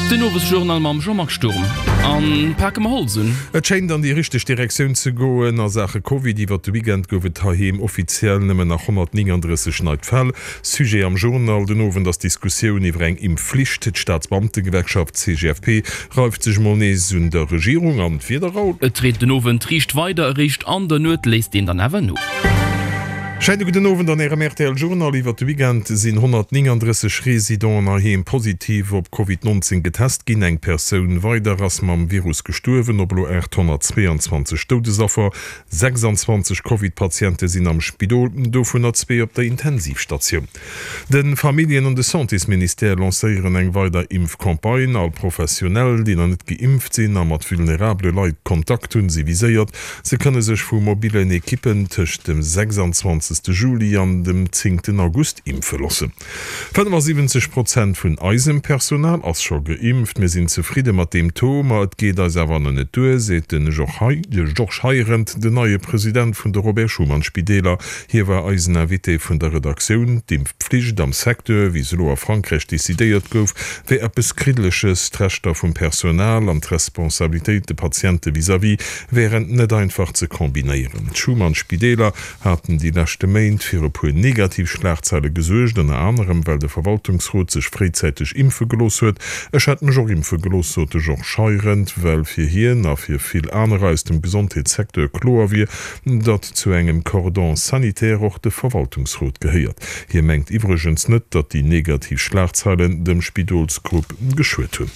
Den Owesjournal mam Jean-Marc Sturm. An pake mer Holz un. Et schéint an déi richteg Direktioun ze goen a Saache Covid. Iwwert de Weekend gouf et heiheem offiziell nëmmen nach 139 nei Fäll. Sujet am Journal den Owend ass d'Diskussioun iwwer eng Impfflicht. D'Staatsbeamtegewerkschaft CGFP reift sech mol nees un der Regierung an d'Wieder, Raoul? Et reent den Owend riicht weider, eréischt an der Nuet léisst een dann awer no. Scheine gudden Owend an Ärem rtl Journal. Iwwert de Weekend sinn 139 Residenten heiheem positiv op Covid 19 getest ginn. Eng Persoun weider ass mam Virus gestuerwen, op elo 822 Doudesaffer. 26 Covid-Patiente sinn am Spidol, dovunner zwee op der Intensivstatioun. De Familljen an de Santésministère lancéieren eng weider Impfcampagne. All Professionell, déi nach net geimpft sinn a mat vulnerabele Leit Kontakt hunn, si viséiert. Se kënne sech vu mobillen Ekippen tëscht dem 26. Juli an dem 10. August impfe loossen. 75 Prozent vun eisem Personal ass scho geimpft. Mir sinn zefridde mat deem Taux, ma et geet eis awer nach net duer, seet de Georges Heirendt, den neie President vun de Robert Schuman Spideeler. Hie war eisen Invité vun der Redaktioun. D'Impfpflicht am Secteur, wéi se elo a Frankräich decidéiert gouf, wär eppes Kriddleches. D'Rechter vum Personal an d'Responsabilitéit de Patiente vis-à-vis wären net einfach ze kombinéieren. D'Schuman-Spideeler haten déi leschte Méint fir e puer negativ Schlagzeile gesuergt, ënner anerem well de Verwaltungsrot sech fréizäiteg impfe gelooss huet. Ech hätt mech och impfe gelooss, sot de Georges Heirendt, well fir hien a fir vill anerer aus dem Gesondheetssecteur kloer wier, datt zu engem Cordon sanitaire och de Verwaltungsrot gehéiert. Hie mengt iwwregens net, datt déi negativ Schlagzeilen dem Spidolsgrupp geschuet hunn.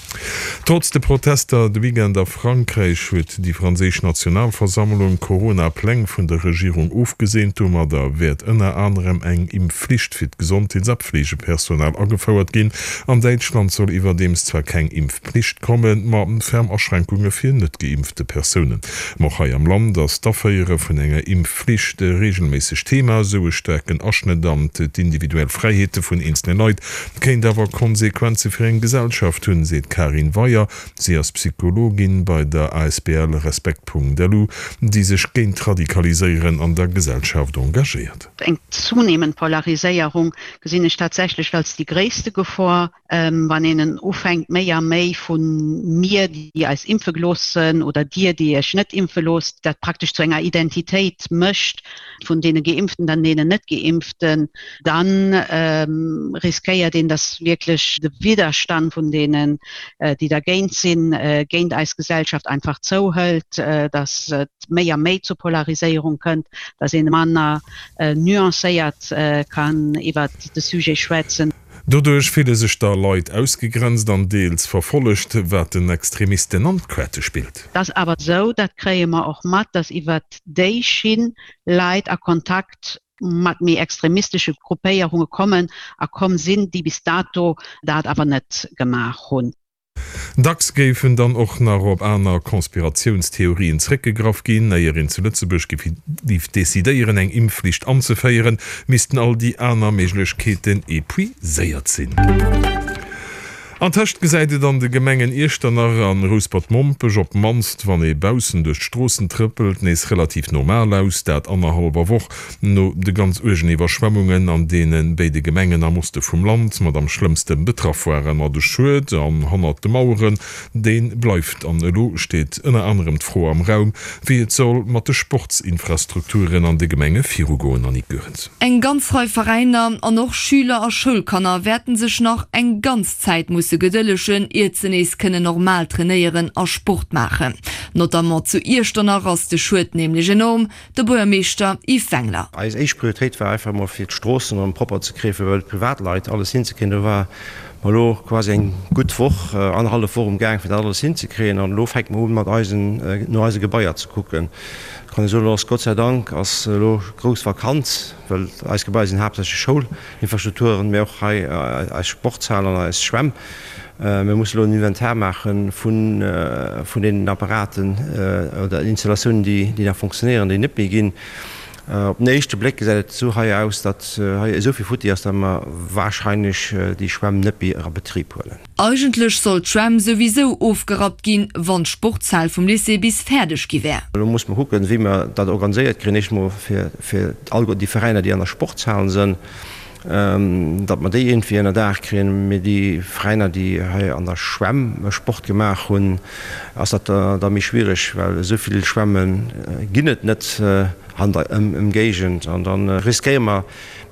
Trotz de Protester de Weekend a Frankräich huet déi franséisch Nationalversammlung d'Corona-Pläng vun der Regierung ofgeseent. Domadder wäert ënner anerem eng Impfflicht fir d'Gesondheets a Pflegepersonal agefouert ginn. An Däitschland soll iwwerdeems zwar keng Impfpflicht kommen, ma ferm Aschränkunge fir net geimpfte Persounen. Ma och hei am Land ass d'Aféiere vun enger Impfflicht reegelméisseg Thema. Esou e staarken Aschnëtt an d'individuell Fräiheete vun eenzele Leit kéint awer Konsequenze fir eng Gesellschaft hunn, seet d'Karin Weyer. Si ass Psychologin bei der asbl Respekt.lu, déi sech géint d'Radikaliséieren an der Gesellschaft engagéiert. Eng zunehmend Polariséierung gesinn ech tatsächlech als déi gréisste Gefor. Wann een ufänkt méi a méi vu mir, déi eis impfe gelooss sënn, oder dir, déi iech net impfe loosst, dat praktesch zu enger Identitéit mécht vun deene Geimpften an deenen Net-Geimpften, da riskéiert een, datt wierklech de Widderstand vun deenen, déi dergéint sinn, géint eis Gesellschaft einfach zouhëlt, datt et méi a méi zu Polariséierung kënnt, datt ee manner nuancéiert kann iwwert de Sujet schwätzen. Doduerch fille sech da Leit ausgegrenzt an deels verfollegt, wat den Extremisten an d'Querte spillt. Et ass awer esou, dat kréie mer och mat, datt iwwert déi Schinn Leit a Kontakt mat méi extremistesche Gruppéierunge kommen a komm sinn, déi bis dato dat awer net gemaach hunn. Dacks géifen dann och nach op aner Konspiratiounstheorien zréckgegraff ginn. Éier een zu Lëtzebuerg géif decidéieren, eng Impfflicht anzeféieren, missten all déi aner Méiglechkeeten epuiséiert sinn. Antëscht gesäit et an de Gemengen Iechternach an Rouspert-Mompech, op d'mannst wann ee baussen duerch d'Stroossen trëppelt, nees relativ normal aus. Dat annerhallwer Woch No de ganz uergen Iwwerschwemmungen an deene béide Gemengen am Oste vum Land mat am schlëmmste betraff waren. Ma de Schued an hannert de Maueren, dee bleift. An elo steet ënner anerem d'Fro am Raum, wéi et soll mat de Sportsinfrastrukturen an de Gemenge virugoen. Annick Goerens. Eng ganz Rei Veräiner an och Schüler a Schoulkanner wäerten sech nach eng ganz Zäit musse gedëllegen, iert se nees kënnen normal trainéieren a Sport maachen. Notamment zu Iechternach ass de Schued nämlech enorm. De Buergermeeschter Yves Wengler. Eis éischt Prioritéit war einfach emol fir d'Stroossen erëm propper ze kréien, fir bei de Privatleit alles hinzekréien. Do ware mer elo quasi eng gutt Woch, annerhallef Woch um Gaang fir dat alles hinzekréien. An elo fänke mer un mat eisen, no eise Gebaier ze kucken. Kann ee soen, elo ass Gott sei Dank ass elo grouss Vakanz, well eis Gebaier sinn haaptsächlech Schoulinfrastrukturen, mä och hei eis Sportshal an eis Schwämm. Mir mussen elo en Inventar maache vun deenen Apparaten oder Installatiounen, déi nach fonctionnéieren, déi net méi ginn. Op den éischte Bléck gesäit et esou hei aus, datt hei esou vill futti ass, datt mer warscheinlech déi Schwämm net méi a Betrib huelen. Eigentlech sollt d'Schwämm souwisou ofgerappt ginn, wann d'Sportshal vum Lycée bis fäerdeg gi wär. Elo musse mer kucken, wéi mer dat organiséiert kréien. Éischt emol fir all déi Veräiner, déi an der Sportshal sënn. Datt mer déi iergendwéi ënnerdaach kréien. Mee déi Veräiner, déi hei an der Schwämm Sport gemaach hunn, ass dat da méi schwiereg, well esou vill Schwämme ginn et net an der Ëmgéigend. An da riskéiere mer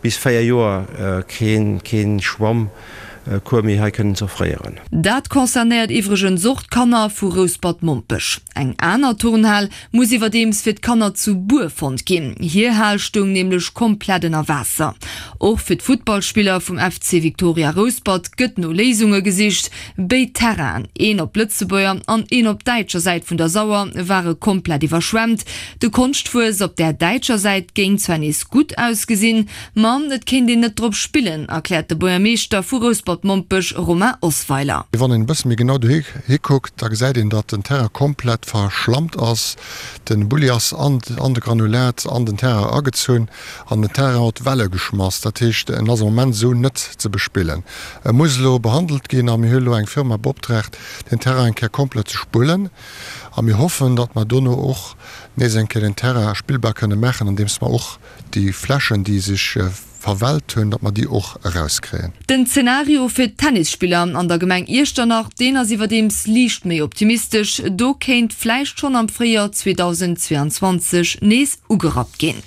bis 4 Joer kee Schwammcours méi hei kënnen ze offréieren. Dat concernéiert iwwregens och d'Kanner vu Rouspert-Mompech. Eng aner Turnhal muss iwwerdeems fir d'Kanner zu Bur fonnt ginn. Hir Hal stoung nämlech komplett ënner Waasser. Och fir d'Futtballspiller vum FC Victoria Rouspert gëtt no Léisunge gesicht. Béid Terrainen, een op Lëtzebuerger an een op däitscher Säit vun der Sauer, ware komplett iwwerschwemmt. De Konschtwuess op där däitscher Säit géing zwar nees gutt ausgesinn, ma et kéint een net drop spillen, erkläert de Buergermeeschter vu Rouspert-Mompech Romain Osweiler. Wann een e bësse méi genau dohi kuckt, da gesäit een, datt den Terrain komplett verschlammt ass. Den Bulli ass an de Granulat an den Terrain agezunn an den Terrain huet Welle geschmass. Dat heescht, en ass am Moment esou net ze bespillen. E muss elo behandelt ginn a mir hu elo eng Firma beoptraagt, den Terrain eng Kéier komplett ze spullen a mir hoffen, datt mer dono och nees eng Kéier den Terrain spillbar kënne maachen, andeems mer och déi Flächen, déi sech verwellt hunn, datt mer déi och erauskréien. Den Zenario fir d'Tennisspiller an der Gemeng Iechternach, deen ass iwwerdeems liicht méi optimistesch. Do kéint vläicht schonn am Fréijoer 2022 nees ugerappt ginn.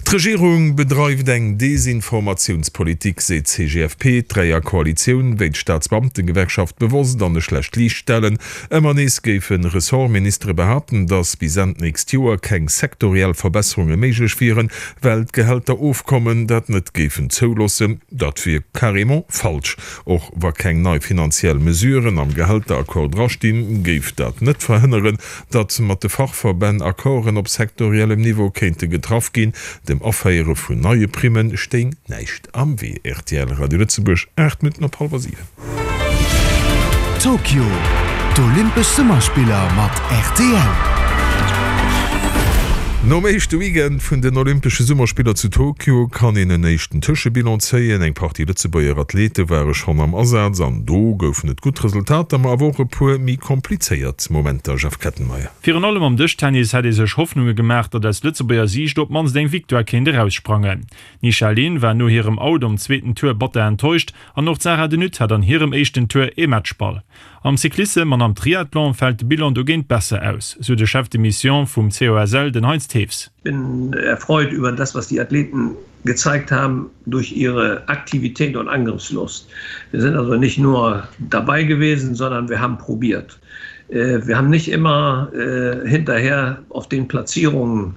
D'Regierung bedreift eng Desinformatiounspolitik, seet d'CGFP. D'Dräierkoalitioun wéilt d'Staatsbeamtengewerkschaft bewosst an e schlecht Liicht stellen. Ëmmer nees géife Ressortministere behaapten, datt bis Enn d'nächst Joer keng sektoriell Verbesserunge méiglech wieren, well d'Gehälterofkommen dat net géifen zouloossen. Dat wier carrément falsch. Och wa keng nei finanziell Mesuren am Gehälteraccord drastinn, géif dat net verhënneren, datt mat de Fachverbänn Accorden op sektoriellem Niveau kéinte getraff ginn. Dem Aféiere vun neie Primme stéing näischt am Wee. Rtl Radio Lëtzebuerg, 8 Minutten op hallwer 7. Tokio, D'Olympesch Summerspiller mat rtl. Nom éischte Weekend vun den Olympesche Summerspiller zu Tokio kann een en éischten Tëschebilan zéien. Eng Partie Lëtzebuerger Athlete ware schonn am Asaz an do goufen et gutt Resultater, ma awer och e puer méi komplizéiert Momenter, Jeff Kettenmeyer. Virun allem am Dëschtennis hätt ee sech Hoffnunge gemaach, datt aus Lëtzebuerger Siicht op d'mannst eng Victoire kéint eraussprangen. D'Nisha Lehn war no hirem Out am zweeten Tour batter enttäuscht An och d'Sarah De Nutte hat an hirem éischten Tour ee Matchball. Am Cyclissem an am Triathlon fält de Bilan dogéint besser aus, sou de Chef de Mission vum COSL, den Heinz Thews. Bin erfreut über das, was die Athleten gezeigt haben durch ihre Aktivität und Angriffslust. Wir sind also nicht nur dabei gewesen, sondern wir haben probiert. Wir haben nicht immer hinterher auf den Platzierungen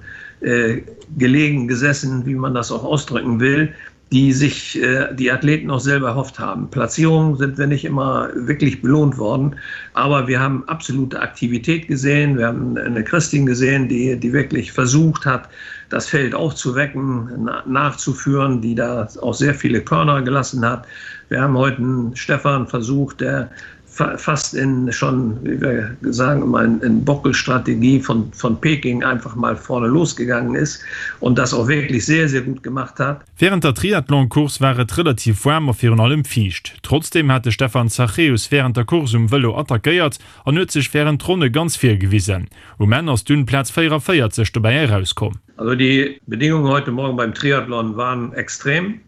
gelegen gesessen, wie man das auch ausdrücken will die sich äh, die Athleten auch selber erhofft haben. Platzierungen sind wir nicht immer wirklich belohnt worden, aber wir haben absolute Aktivität gesehen. Wir haben eine Christin gesehen, die, die wirklich versucht hat, das Feld aufzuwecken, nachzuführen, die da auch sehr viele Körner gelassen hat. Wir haben heute einen Stefan versucht, der fast in schon wie wir sagen immer in, in Bockelstrategie von, von Peking einfach mal vorne losgegangen ist und das auch wirklich sehr sehr gut gemacht hat. Während der Triathlon-Course war et relativ waarm a virun allem fiicht. Trotzdeem hat de Stefan Zachäus wärend der Course um Vëlo attackéiert an huet sech wärend Ronne ganz vir gewisen. Um Enn ass dunn Plaz 44 dobäi erauskomm. Also die Bedingungen heute Morgen beim Triathlon waren extrem.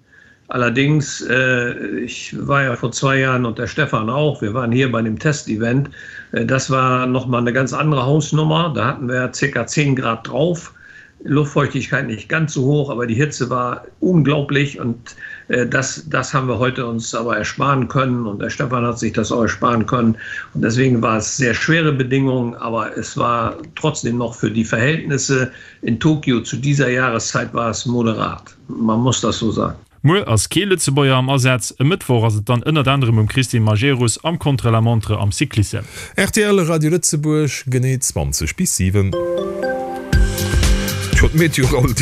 Allerdings äh, ich war ja vor zwei Jahren und der Stefan auch, wir waren hier bei dem Testevent. Äh, das war noch mal eine ganz andere Hausnummer. Da hatten wir ca. 10 Grad drauf. Luftfeuchtigkeit nicht ganz so hoch, aber die Hitze war unglaublich und äh, das, das haben wir heute uns aber ersparen können und der Stefan hat sich das auch ersparen können und deswegen war es sehr schwere Bedingungen, aber es war trotzdem noch für die Verhältnisse in Tokio zu dieser Jahreszeit war es moderat. Man muss das so sagen. Muer ass kee Lëtzebuerger am Asaz. E Mëttwoch ass et dann ënnert anerem um Christine Majerus am Contre-la-montre am Cyclissem. Rtl Radio Lëtzebuerg, genee 20 bis 7. Tjo, d'Meteo Raoul,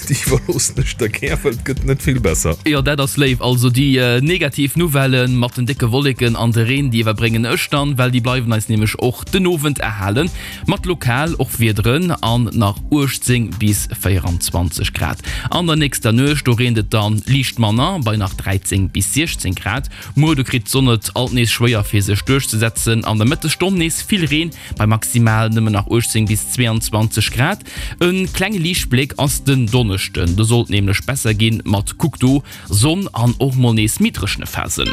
déi iwwerloossen ech der gär, well et gëtt net vill besser. Jo, dat ass léif. Also déi negativ Nouvellë mat den décke Wolleken an de Reen, déi iwwerbréngen ech dann, well déi bleiwen eis nämlech och den Owend erhalen. Mat lokal och Wiederen an nach 18 bis 24 Grad. An der nächster Nuecht do reent et dann liicht manner, bei nach 13 bis 16 Grad. Muer do kritt d'Sonn et alt nees schwéier fir sech duerchzesetzen. An der Mëttesstonn nees vill Reen, bei maximal nëmmen nach 18 bis 22 Grad. E klenge liichte. Liichtbléck ass den Donneschden, do sollt nämlech besser ginn mat, kuck do, Sonn an och mol nees méi dréchene Phasen.